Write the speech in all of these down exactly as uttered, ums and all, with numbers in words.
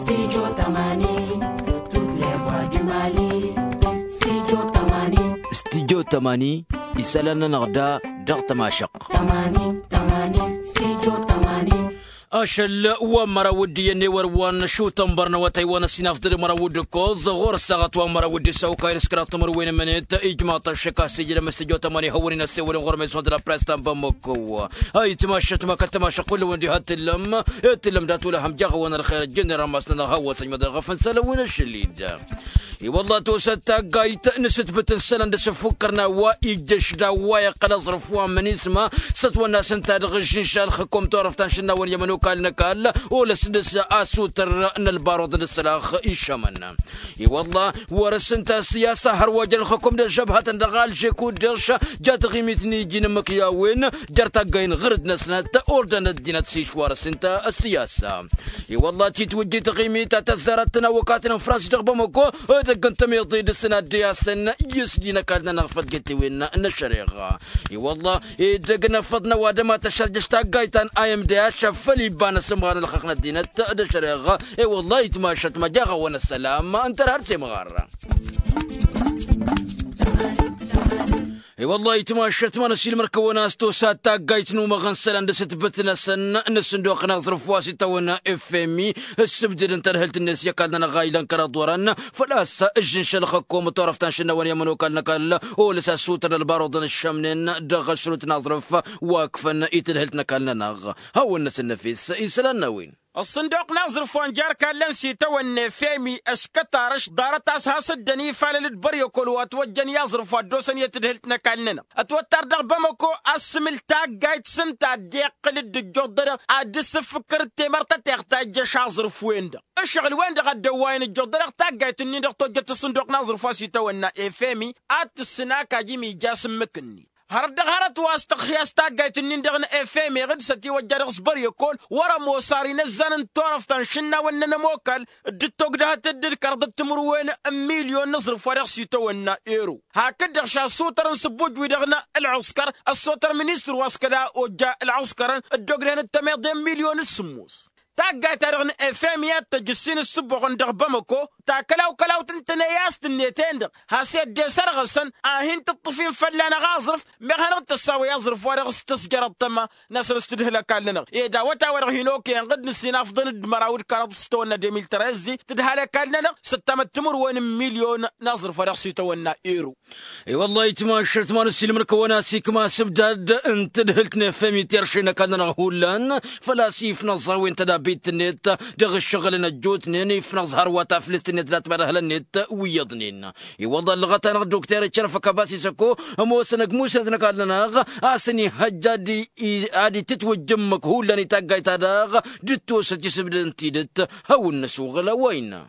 Studio tămani. Toutes les voix du mali. Studio tămani. Studio tămani. Isălan-nănăɣ da dăɣ-tămašăqq. Tămani tămani. Studio tămani. Ašăl wa n-măraw d-iyyăn ewăr wa n-ašutăn bărnăwătăy wa n-ăsinafḍăd măraw d-ǝkkoẓ ɣur-ăssaɣăt wa n-măraw d-isăwkayăn s-kăraḍ timǝrwen ǝmmǝnet. Ijmaḍ-t ăššăk a-s ijlăm s-tijot ămăni hăwăr-in ăssewăl-in ɣur-meẓon d-la press ta n-bamăkko. Ayǝtmašăt ma kăt-tămašăq kull-wăn diha t-tǝllăm. T-tǝllăm dat-wăla hăm jaɣ-awăn ălxer ăjjǝnnen rămas-nănăɣ hawăn-săjmăḍăn ɣăf n-isălan wi n-ašăl-i-dd. I-wălla tosăt taggayt n-asǝtbǝt n-isălan d-asǝffukkăr n-a-wa ijjăš d-a-wa iqqăl aẓrǝf wa n-imǝnisma. S-ătwănna s-ǝnta dăɣ-ažžǝnša ălxǝkom turăft ta n-išǝnnawăn i-ămănokal n-ăkall. Olăs dăɣ-s asutrăn n-ălbaruḍ n-ǝssălax išămăn. I-wălla wăr-s ǝnta ăssiyasa hărwa jăn ălxǝkom d-ăžžăbhătăn dăɣ-alže kud-dăɣ-š. Ja taɣimit n-iji n-imǝkyawen jer-taggayen ɣǝr-dd-năsnăt. Ordăn ăddinăt s-išwar-s ǝnta ăssiyasa. I-wălla titwǝjjit taɣimit ta tăzzarăt n-awăkatăn n-frans dăɣ-bamăko. Edăgg n-tămiḍe dăɣ-săn ad-dd-eyasăn i-s dd-inăkall-nănăɣ făll-getewin n-ăššăreɣa. I-wălla edăgg n-afăḍ n-ăwadǝm ad-tăššăjjăš taggayt ta n-imdh făll-ibba n-asǝmɣar n-ălxăqq n-ăddinăt d-ăššăreɣa. I-wălla itmašăt ma jaɣ-awăn ăssălam ǝntăr har s-imɣar. I-wălla itmašăt ma n-ăsilmăr-kăwăn a-s tosa taggayt n-umăɣăn isălan d-asǝtbǝt-năsăn n-asǝnduq n-aẓrǝf wa s-itawăn f m i. Ǝssǝbdǝd n-tadhǝlt-net i-ăkall-nănăɣ a ilăn kăraḍ wărăn. Făl-a-s ǝžžǝnš ălxǝkkum turăft ta n-išǝnnawăn i-ămănokal n-ăkall. Olăs asutrăn ălbaruḍăn ǝššămnen dăɣ-ašrut n-aẓrǝf wa ǝkfăn i-tadhǝlt n-ăkall-nănăɣ. Hawăn-năsăn năfes isălan n-a-wen. Ăṣṣǝnduq n-aẓrǝf wa n-jer-kallăn s-itawănna f m i ăskătarăš ḍarăt a-s has-dd-ănifalăl d-băryăkol wa ătwăjjăn i-aẓrǝf wa ăddoosăn i-tadhǝlt n-ăkall-nănăɣ. Ătwăttar dăɣ-bamăko a-s sǝmǝl taggayt s-ǝnta a dd-iqqǝl-dd ǝjjuḍănăɣ ad-dd-sǝffǝkkăr d-temărtăteɣt ta ijjăš aẓrǝf-wen-dăɣ. Ǝššăɣǝl-wen-dăɣ a dd-ăwwayăn ǝjjuḍănăɣ taggayt-nin-dăɣ tojjăt ăṣṣǝnduq n-aẓrǝf wa s-itawănna f m i ad-tǝssǝn akaj imija s-ǝmmǝk-net. Hărăt dăɣ-hărăt wa s-tăxxi a-s taggayt-nin-dăɣ n-f m i ɣǝd s-ătiwăjja dăɣ-s băryăkol wăr-ămoos ar inăzzan n-turăft ta n-išǝnnawăn n-ănămokal. Dd-togdăhăt-dd d-kăraḍăt timǝrwen n-milyon n-aẓrǝf wa dăɣ-s itawănna ero. Hakd-dăɣ šasutăr n-sǝbbuj-wi-dăɣ n-ălɣǝskăr ăssotăr ministăr wa s-kăla ojja ălɣǝskărăn dd-ogdăhăn d-tămeḍe n-milyon s-sǝmmos. Taggayt-ta-dăɣ n-f m i ad-tăj ǝssin ǝssǝbboɣăn dăɣ-bamăko. Takălaw-kălaw tǝntǝne i-a-s tǝnnet-en-dăɣ has-e dd-esărɣǝsăn a hin-tǝṭṭǝf-in fălla-năɣ aẓrǝf. Meɣ hanăɣ-tăssaw i-aẓrǝf-wa-dăɣ s-tăsjărăḍ tăma-năsăn s-tǝdhǝl ăkall-nănăɣ ed awătay-wa-dăɣ hin-okăyăn ɣǝd nǝssin afḍăn d-măraw d-kăraḍ s-tawănna de mil treze tǝdhal ăkall-nănăɣ s-ăttamăt timǝrwen n-milyon n-aẓrǝf-wa-dăɣ s-itawănna ero. I-wăllah itmašăt ma n-ăssiilmăr-kăwăn-as ikma asǝbdad n-tadhǝlt n-efem i-terše n-ăkall-nănăɣ hullan. Făl-a-s ifnăẓ a-wen tădabit-net dăɣ-ǝššăɣǝl n-ăjjootnen ifnăẓ hărwa taflǝst-net d-atmadhălăn-net wi iyyăḍnen. I-wăllah ăllăɣăt-anăɣ dokter icărăf ăkabas isăko ămoosăn ăgg musnăt n-ăkall-nănăɣ a-s ănihăjj ad-itǝtwǝjj ǝmmǝk hullan i-taggayt-ta-dăɣ d-ǝttosăt isǝbdad n-tidǝt. Hawăn-năsuɣǝl a-wa innă.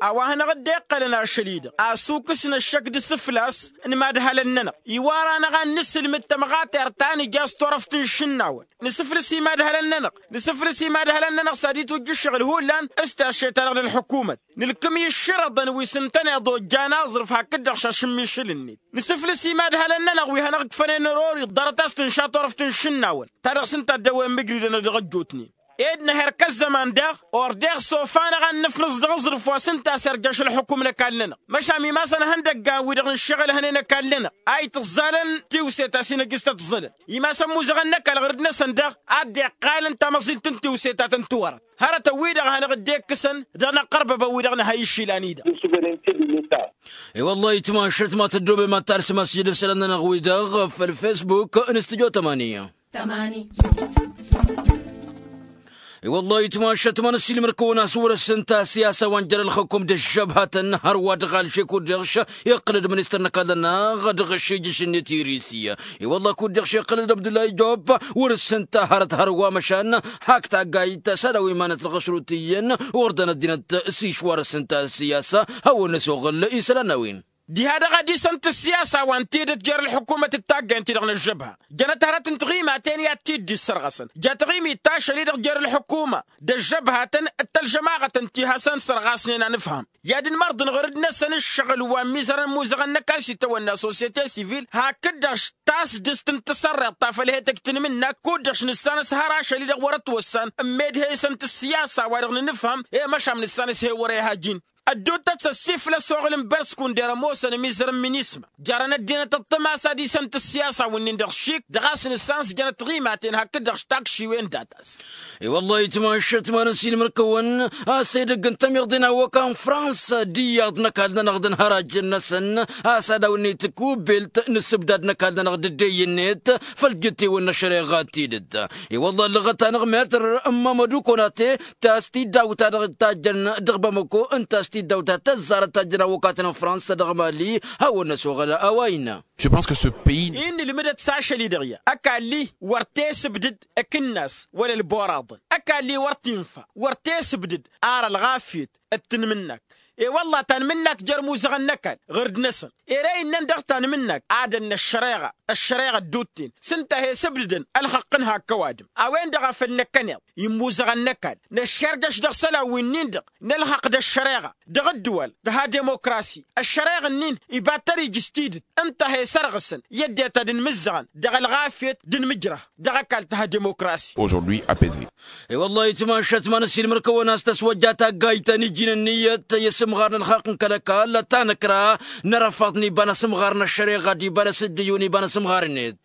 A-wa hanăɣ-dd-iqqălăn ašăl-i-dăɣ asukǝs n-ăššăk d-isǝflas n-imadhalăn-nănăɣ. Iwar-anăɣ ad-nǝsǝlmǝd tămɣatert ta nǝja s-turăft n-išǝnnawăn nǝsǝflǝs imadhalăn-nănăɣ. Nǝsǝflǝs imadhalăn-nănăɣ s-ad-itwǝjj ǝššăɣǝl hullan s-terše-ta-dăɣ n-ălḥǝkumăt. Nǝlkǝm i-ǝššărăḍăn wi s-ǝntăneḍ ojjan aẓrǝf hakd-dăɣ šašǝmmišǝl-net. Nǝsǝflǝs imadhalăn-nănăɣ wi hanăɣ-ǝkfănen ărori ḍarăt a-s tǝnša turăft n-išǝnnawăn ta dăɣ-s ǝnta a dd-ăwwăyăn mǝjridăn dăɣ-ăjjootnen. Ed nǝher kăl-zăman daɣ ordeɣ s-ofa-năɣ ad-nǝfnǝẓ dăɣ-aẓrǝf wa s-ǝnta a-s irjaš ălxukum n-ăkall-nănăɣ. Măšan imasăn ihăndăggan wi-dăɣ n-ǝššăɣǝl hănen ăkall-nănăɣ a itǝẓẓalăn tiwse ta s-inăjjǝs tătẓǝlăn. Imasăn muzăɣăn n-ăkall ɣur-dd-năsăn daɣ a dd-iqqalăn tamăẓilt n-tiwse ta tăn-tiwărăt. Hărătăn-wi-dăɣ a hanăɣ-dd-ikkǝsăn dăɣ-inăqqărbăbăn-wi-dăɣ n-ha išilan-i-dăɣ. I-wăllah itmašăt ma tăddobem ad-talsăm asǝjjǝd isălan-nănăɣ-wi-dăɣ făll-facebook n-studyo tămaniya. I-wăllah itmašăt ma n-ăssiilmăr-kăwăn a-s wăr-s ǝnta siyasa wa n-jer-ălxăkum d-ăžžăbhătăn hărwa dăɣ-alže kud-dăɣ iqqăl-dd ministăr n-ăkall-nănăɣ dăɣ-ašijǝš-net i-risi. I-wăllah kud-dăɣ iqqăl-dd abdullah ijob wăr-s ǝnta hărăt hărwa măšan hak taggayt s-ad-aw imanăt dăɣ-ašrut iyyăn ordăn ăddinăt s-išwar s-ǝnta siyasa. Hawăn-năsoɣǝl isălan n-a-wen. Diha-dăɣ ad-isăn tǝssiyasa wa n-tidǝt jer-ălḥukumăt d-taggăyăn-ti-dăɣ n-ăžžăbha. Jănăt hărăt n-tiɣimaten i-ad-t-dd-issărɣăsăn jat tiɣimit tašăl-i-dăɣ jer-ălḥukuma d-ăžžăbhatăn d-tălžămaɣăt n-ti hasăn-sărɣasnen anǝfham i-ad-ǝnmărḍăn ɣǝr-dd-năsăn ǝššăɣǝl wa n-imizărăn imuzăɣăn n-ăkall s-itawănna sosiyete sivil hakd-dăɣ tasdǝst n-tǝsărreḍt ta făl he-tăjj tǝnmǝnnak kud-dăɣ š-nǝssan s-hăr ašăl-i-dăɣ wăr-ătwăssan n-meddhe isăn tǝssiyasa wa dăɣ-nǝnǝfhăm i-măšan nǝssan s-he-wăr-e hajin. Ăddootăt s-ăssiiflăs oɣǝl n-bărsku n-derămosăn ămizăr n-minisma jarăn ăddinăt ăṭṭămas ad-isăn tǝssiyasa wǝnnin-dăɣ šik dăɣ-a-s nǝssan s-jănăt tiɣimaten hakd-dăɣ š-takšiwen data-s. I-wăllah itmašat manăsilmăr-kăwăn a-s edăgg n-tămiḍe n-awăka n-frănsa d-iyyăḍ n-ăkall-nănăɣ d-ănhărajăn-năsăn a-s ad-awǝnnet kubelt n-asǝbdad n-ăkall-nănăɣ d-ăddeyy-net făll-jetewăn n-ăššăreɣa d-tidǝt. I-wălla ăllăɣăt-anăɣ metăr n-mamădu konate ta s-tiddawt ta dăɣ-tajjăn dăɣ-bamăko ǝnta s-tiddawt ta tăzzarăt tajjăn awăkatăn n-frănsa dăɣ-mali hawăn-năsoɣăl a-wa innă. Je pense que ce pays. Innă ǝlmǝdăt s-ašăl-i-dăɣ ya ăkall-i wăr t-esǝbdǝd ăkǝnnas wăla ălboraḍăn ăkall-i wăr t-infa wăr t-esǝbdǝd ar ălɣafyăt d-tanmǝnnak. I-wălla tanmǝnnak jer-imuzăɣăn n-ăkall ɣǝr-dd-năsăn ere innăn dăɣ-tanmǝnnak ad-ănnă ăššăreɣa ăššăreɣa ădduutten s-ǝnta a he-sǝbdǝdăn ălxăqq n-hak ăwadǝm a-wen-dăɣ a făl năkkăneḍ immuzăɣăn n-ăkall năššerjăš dăɣ-isălan wi-nin-dăɣ n-ălxăqq d-ăššăreɣa dăɣ-ǝddǝwal d-ha-dimokrasi. Ăššăreɣ-nin iba tăr-ija s-tidǝt ǝnta a he-sărɣǝsăn i-ăddinăt ad-ǝnmǝzzăɣăn dăɣ-ălɣafyăt d-inmǝjrah dăɣ-ăkall t-ha-dimokrasi. Aujourd'hui apaisé. I-wăllah itmašat manăsilmăr-kăwăn a-s tăswăjja taggayt ta n-iji n-ǝnniyăt i-asǝmɣar n-ălxaqq n-kăl-ăkall ta năkra n-arăfaḍ n-iba n-asǝmɣar n-ăššăreɣa d-iba n-asǝddǝyyu n-iba n-asǝmɣar-net.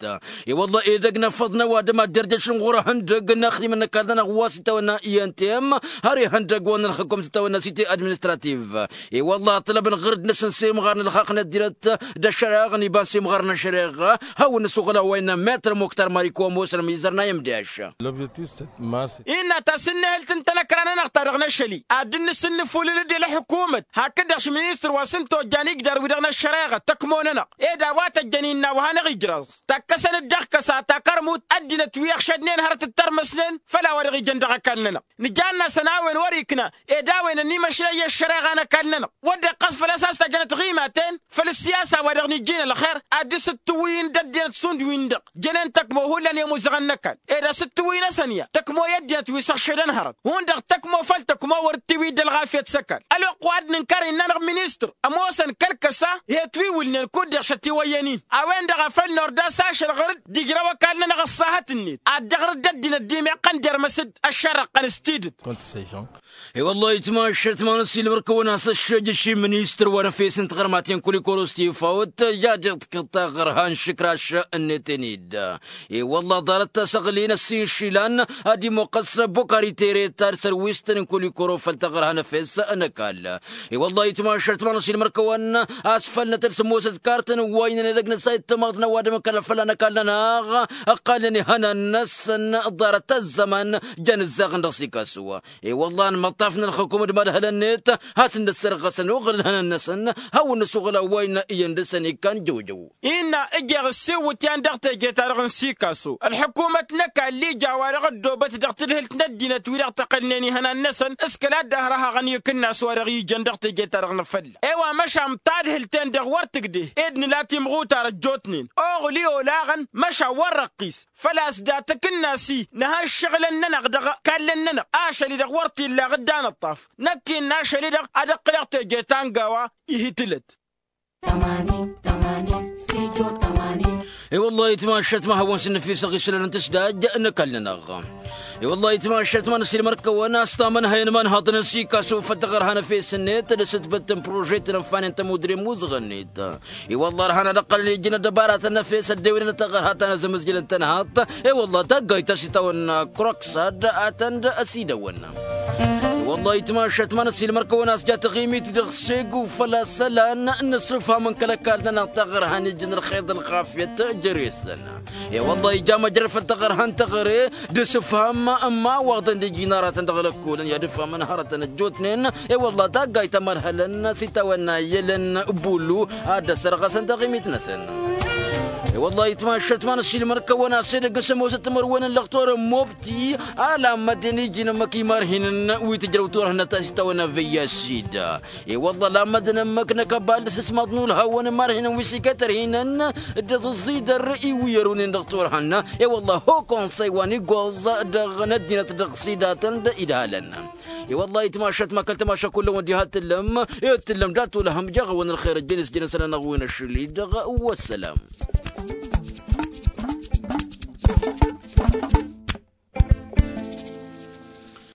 I-wălla edăgg n-afăḍ n-ăwadǝm ad-derjăšăn ɣur-ehăndăg n-axdimăn n-ăkall-nănăɣ wa s-itawănna i-n t m har ihăndăg wa n-ălxǝkum s-itawănna site administrativ. I-wălla ăṭṭălăbăn ɣǝr-dd-năsăn s-imɣar n-ălxaqq n-ăddinăt d-ăššăreɣ n-iba n-simɣar n-ăššăreɣ. Hawăn-năsuɣǝl a-wa innă metăr muktar mariko ămoosăn ămizăr n-a i-ămdeaš. L'objectif c'est de marse. Innă ta s-ǝnnihǝlt n-tanăkra nănăɣ ta dăɣ-năšăl-i ad-dd-nǝsǝnnǝfulǝl-dd i-ălḥukumăt hakd-dăɣ š-ministăr wa s-ǝnta ojjan igdar-wi-dăɣ n-ăššăreɣa tăkmo-nănăɣ ed a-wa tăjjăn innă wa hanăɣ-ijrăẓ takkăsăn-dd dăɣ-kăsa ta kărmut ăddinăt wi ăɣšădnen hărăt d-tărmăsnen făll-a-wa dăɣ-ijăn dăɣ-ăkall-nănăɣ. Nǝjanna-săn a-wen wăr-ikna ed a-wen ănniimăšlăy i-ăššăreɣa n-ăkall-nănăɣ wăr dd-iqqăs făl-a-s a-s tajănăt ɣimaten făll-ǝssiyasa wa dăɣ-nijjin ălxer ad-dd-sǝttǝwǝyǝn d-ăddinăt šund-win-dăɣ jănen tăkmo hullan i-imuzăɣăn n-ăkall ed asǝttǝwǝy-năsăn ya tăkmo i-ăddinăt wi s-ăɣšădăn hărăt hundăɣ tăkmo făll-tăkmo wăr dd-tiwǝy d-ălɣafyăt s-ăkall ălwăqq wa dd-nǝnkăr innă-năɣ ministăr ămoosăn kăl-kăsa he-ătwiwǝlnen kud-dăɣ šătiwăyyăn-in. A-wen-dăɣ a făl nord a-s ašăl ɣǝr-dd ijrăw ăkall-nănăɣ ăṣṣahăt-net ad-dăɣ-rǝdd ăddinăt d-imeqqăn dermăs-dd ăššărrăqqăn s-tidǝt. Contre ces gens. I-wăllah itmašat manăsilmăr-kăwăn a-s ăššejăš i-ministăr wa n-efes n-tiɣărmaten kulikoro s-tifawt i-ad-iḍkǝḍ taɣărha n-išǝkraš-net-en-dd. I-wălla ḍarăt tasăɣli n-ăssiinšilan ad-imoqqăs bokari tere ta d-sărwistăn n-kulikoro făll-taɣărha n-efes n-ăkall. I-wălla itmašat manăsilmăr-kăwăn a-s făl nătăl s-ămoosăt kartăn wa innăn edăgg n-ăssayăt tămaḍt n-ăwadǝm n-kăl-fălla n-ăkall-nănăɣ ăqqalnen ihănan-năsăn ḍarăt ăzzăman. Jăn ǝzzaɣăn dăɣ-sikasu. I-wălla ănmăṭṭaf n-ălxǝkum d-imadhălăn-net hasăn-dd-ăssărɣăsăn oɣăl n-ihănan-năsăn hawăn-năsuɣǝl a-wa innă iyyăn dăr-săn ikkan jăwjăw. Innă ǝjeɣ ǝssiwǝtyan dăɣ-teje-ta-dăɣ n-sikasu ălḥǝkumăt n-ăkall ija wa dăɣ-ăddoobăt dăɣ-tadhǝlt n-ăddinăt wi-dăɣ tăqqălnen ihănan-năsăn s-kăla dd-ăhrăhăɣăn i-akǝnnas wa dăɣ-ijăn dăɣ-teje-ta-dăɣ n-afălla. I-wa măšan tadhǝlt-en-dăɣ wăr tǝgdeh ed nǝla timɣutar ăjjootnen oɣǝl i-olaɣăn măšan wăr răqqis. Făl-a-s dat-akǝnnas-i nǝha ǝššăɣǝlăn-nănăɣ dăɣ-ikallăn-nănăɣ ašăl-i-dăɣ wăr t-illa ɣǝddan ăṭṭaf. Năkk innă ašăl-i-dăɣ ad-ăqqǝlăɣ teje ta n-gawa. Ih' itǝlăt. Tămani tămani stijo tămani. I-wăllah itmašat ma hawăn-sǝnnăfisăɣ isălan n-tǝsdaj n-ăkall-nănăɣ. I-wăllah itmašat ma n-ăsilmăr-kăwăn a-s tamănhăyăn imanhaḍăn n-sikasu făll-taɣărha n-efes-net d-asǝtbǝt n-prožet n-ănfanen tămudre n-imuzăɣăn-net. I-wălla ărhan ad-ăqqălăn ijjǝn ăddăbaratăn n-efes ăddewăynen taɣărha ta n-azǝmǝzjǝl n-tănhaḍt. I-wălla taggayt ta s-itawănna kroksad a tăn-dd-ăsidăwăn. I-wălla itmašat ma n-ăsilmăr-kăwăn a-s ja taɣimit dăɣ-segu făl-a-s ălan n-asǝfham n-kăl-ăkall-nănăɣ taɣărha n-ijjǝn ălxer d-ălxafyăt. Jere-săn. I-wălla ija măjrăd făll-taɣărha n-teɣăre d-asǝfham n-imawaḍăn d-ijinaratăn dăɣ-lăkkolăn i-ad-ǝfhămăn hărătăn ăjjootnen. I-wălla taggayt ta mărhălăn s-itawănna i-elăn bulu ad-dd-ăssărɣăsăn taɣimit-năsăn. Wăllah itmašăt ma n-ăššilmăn kăwăn-as edăgg s-ămoosăt timărwen n-lăxtor n-mobti. Ala mădden iji n-ămmăk imarhinăn wi tǝjrăw turhǝnăt a-s itawăn avăyya s-sid. I-wăllah lamădden ămmăk n-akăbal d-asǝsmaḍ n-ulhawăn imarhinăn wi s-ikătărhinăn d-aẓǝẓẓidăr iwǝyărunen dăɣ-turhăn. I-wăllah ho konsăy wa n-igoẓ dăɣ-năddinăt dăɣ-sidatăn d-idhalăn. I-wăllah itmašăt ma kăl-tamaša kullăn wăddiha t-tǝllăm. I-t-tǝllăm dat-ulhăm jăɣ-awăn ălxer ăjjăn isjăn isălan aɣwin ašli-dăɣ. Wăssălam.